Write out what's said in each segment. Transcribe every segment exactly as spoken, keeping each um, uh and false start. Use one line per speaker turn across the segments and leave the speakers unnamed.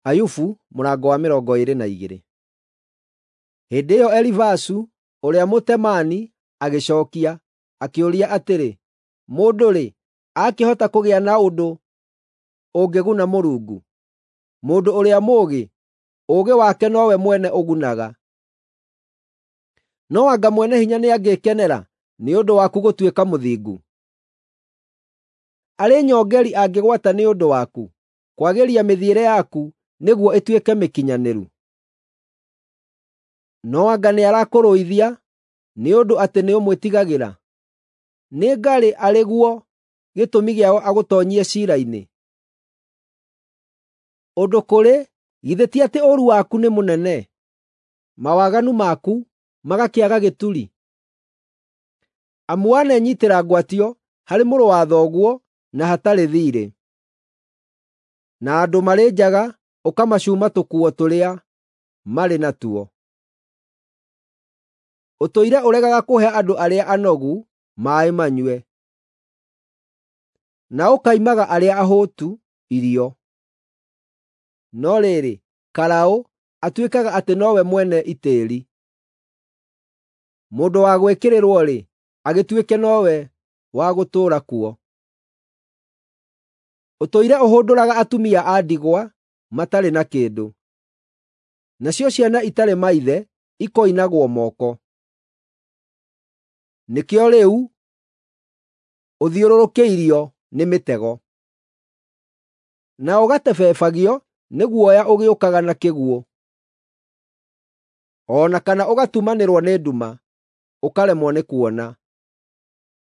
Ayubu mũrango wa mĩrongo ĩĩrĩ na igĩrĩ. Hĩndĩ ĩyo Elifazu ũrĩa Mũtemaani agĩcookia, akĩũria atĩrĩ, “Mũndũ-rĩ, aakĩhota kũgĩa na ũndũ ũngĩguna Mũrungu? Mũndũ ũrĩa mũũgĩ, ũũgĩ wake nowe mwene ũgunaga. No anga Mwene-Hinya nĩangĩĩkenera nĩ ũndũ waku gũtuĩka mũthingu? Arĩ nyongeri angĩgwata nĩ ũndũ waku kwagĩria mĩthiĩre yaku nĩguo ĩtuĩke mĩkinyanĩru? No anga nĩarakũrũithia nĩ ũndũ atĩ nĩũmwĩtigagĩra? Nĩ ngarĩ arĩ guo gĩtũmi gĩa agũtoonyie ciira-inĩ? Ũndũ kũrĩ, githĩ ti atĩ ũũru waku nĩ mũnene, mawaganu maku magakĩaga gĩturi? Amu wanenyiitĩra ngwatio harĩ mũrũ wa thoguo na hatarĩ thiirĩ, na andũ marĩ njaga ũkamacuuma tũkuo tũrĩa marĩ natuo. Ũtũire ũregaga kũhe andũ arĩa anogu maaĩ manyue, na ũkaimaga arĩa ahũtu irio. No rĩrĩ, Karaũ atuĩkaga atĩ nowe mwene itĩĩri. Mũndũ wa gwĩkĩrĩrwo-rĩ, agĩtuĩke nowe wa gũtũũra kuo. Ũtũire ũhũndũraga atumia a ndigwa matarĩ na kĩndũ, nacio ciana itarĩ maithe ikoinagwo moko. Nĩkĩo rĩu ũthiũrũrũkĩirio nĩ mĩtego, na ũgatebebagio nĩ guoya ũgĩũkaga na kĩguũ, o na kana ũgatumanĩrwo nĩ nduma, ũkaremwo nĩ kuona,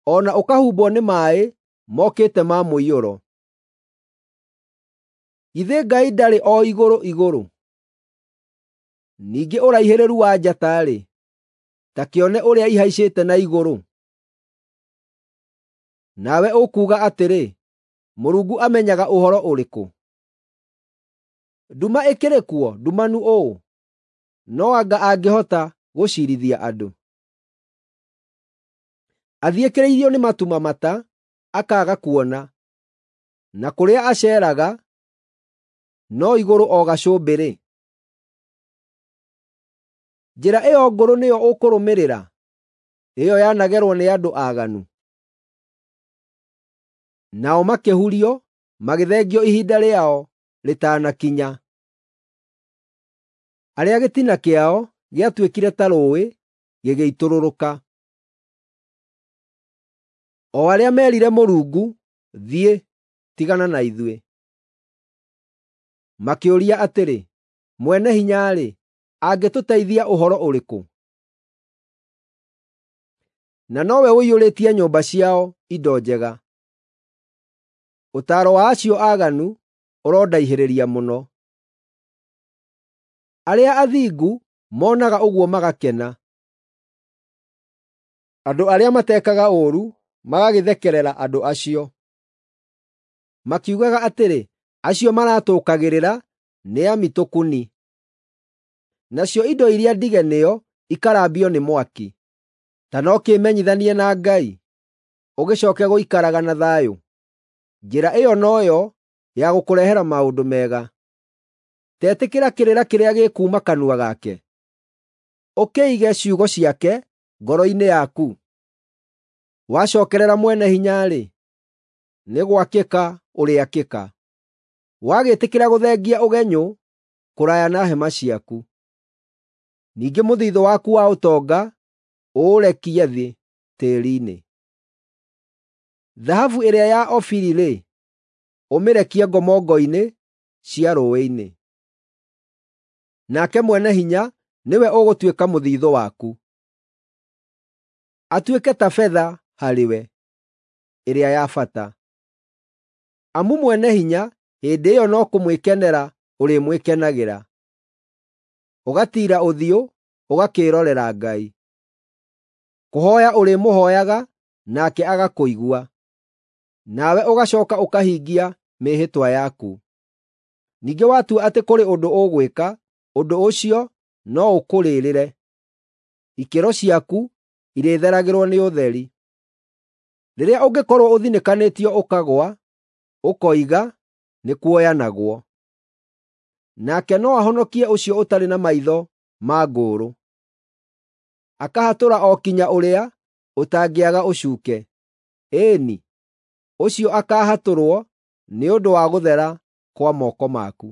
o na ũkahumbwo nĩ maaĩ mokĩte ma mũiyũro. Githĩ Ngai ndarĩ o igũrũ igũrũ? Ningĩ ũraihĩrĩru wa njata-rĩ, ta kĩone ũrĩa ihaicĩte na igũrũ. Nawe ũkuuga atĩrĩ, ‘Mũrungu amenyaga ũhoro ũrĩkũ? Nduma ĩkĩrĩ kuo ndumanu ũũ, no anga angĩhota gũciirithia andũ?’ Athiĩkĩrĩirio nĩ matu mamata, akaaga kuona, na kũrĩa aceeraga no igũrũ o gacũmbĩrĩ. Njĩra ĩyo ngũrũ nĩyo ũkũrũmĩrĩra, ĩyo yanagerwo nĩ andũ aaganu? Nao makĩhurio, magĩthengio ihinda rĩao rĩtanakinya. Arĩa gĩtina kĩao gĩatuĩkire ta rũũĩ gĩgĩitũrũrũka, o arĩa meerire Mũrungu, ‘Thiĩ, tigana na ithuĩ!’ Makĩũria atĩrĩ, ‘Mwene-Hinya-rĩ, angĩtũteithia ũhoro ũrĩkũ?’ Na nowe ũiyũrĩtie nyũmba ciao indo njega. Ũtaaro wa acio aaganu ũrondaihĩrĩria mũno. Arĩa athingu monaga ũguo magakena, andũ arĩa matekaga ũũru magagĩthekerera andũ acio, makiugaga atĩrĩ, “Acio maratũũkagĩrĩra nĩ amitũkuni.” Nacio indo iria ndige nĩo ikarambio nĩ mwaki. Ta no kĩĩmenyithanie na Ngai, ũgĩcooke gũikaraga na thayũ. Njĩra ĩyo noyo ya gũkũrehera maũndũ mega. Tetĩkĩra kĩrĩra kĩrĩa gĩkuuma kanua gake, ũkĩige ciugo ciake ngoro-inĩ yaku. Wacookerera Mwene-Hinya-rĩ, nĩ gwakĩka ũrĩakĩka, wagĩtĩkĩra gũthengia ũgenyũ kũraya na hema ciaku. Ningĩ mũthiithũ waku wa ũtonga ũũrekie thĩ tĩĩri-inĩ. Thahabu ĩrĩa ya Ofiri-rĩ, ũmĩrekie ngomongo-inĩ cia rũũĩ-inĩ. Nake Mwene-Hinya nĩwe ũgũtuĩka mũthiithũ waku, atuĩke ta betha harĩwe, ĩrĩa ya bata. Amu Mwene-Hinya hĩndĩ ĩyo no kũmwĩkenera ũrĩmwĩkenagĩra, ũgatiira ũthiũ ũgakĩĩrorera Ngai. Kũhooya ũrĩmũhooyaga nake agakũigua, nawe ũgacooka ũkahingia mĩĩhĩtwa yaku. Ningĩ watua atĩ kũrĩ ũndũ ũgwĩka, ũndũ ũcio no ũkũrĩrĩre. Ikĩro ciaku irĩtheragĩrwo nĩ ũtheri. Rĩrĩa ũngĩkorwo ũthinĩkanĩtio ũkagũa, ũkoiga, “Nĩkuoyanagwo.” Nake no ahonokie ũcio ũtarĩ na maitho ma ngũũrũ, akahatũra o kinya ũrĩa ũtangĩaga ũcuuke. Ĩĩ-ni, ũcio akaahatũrwo nĩ ũndũ wa gũthera kwa moko maku.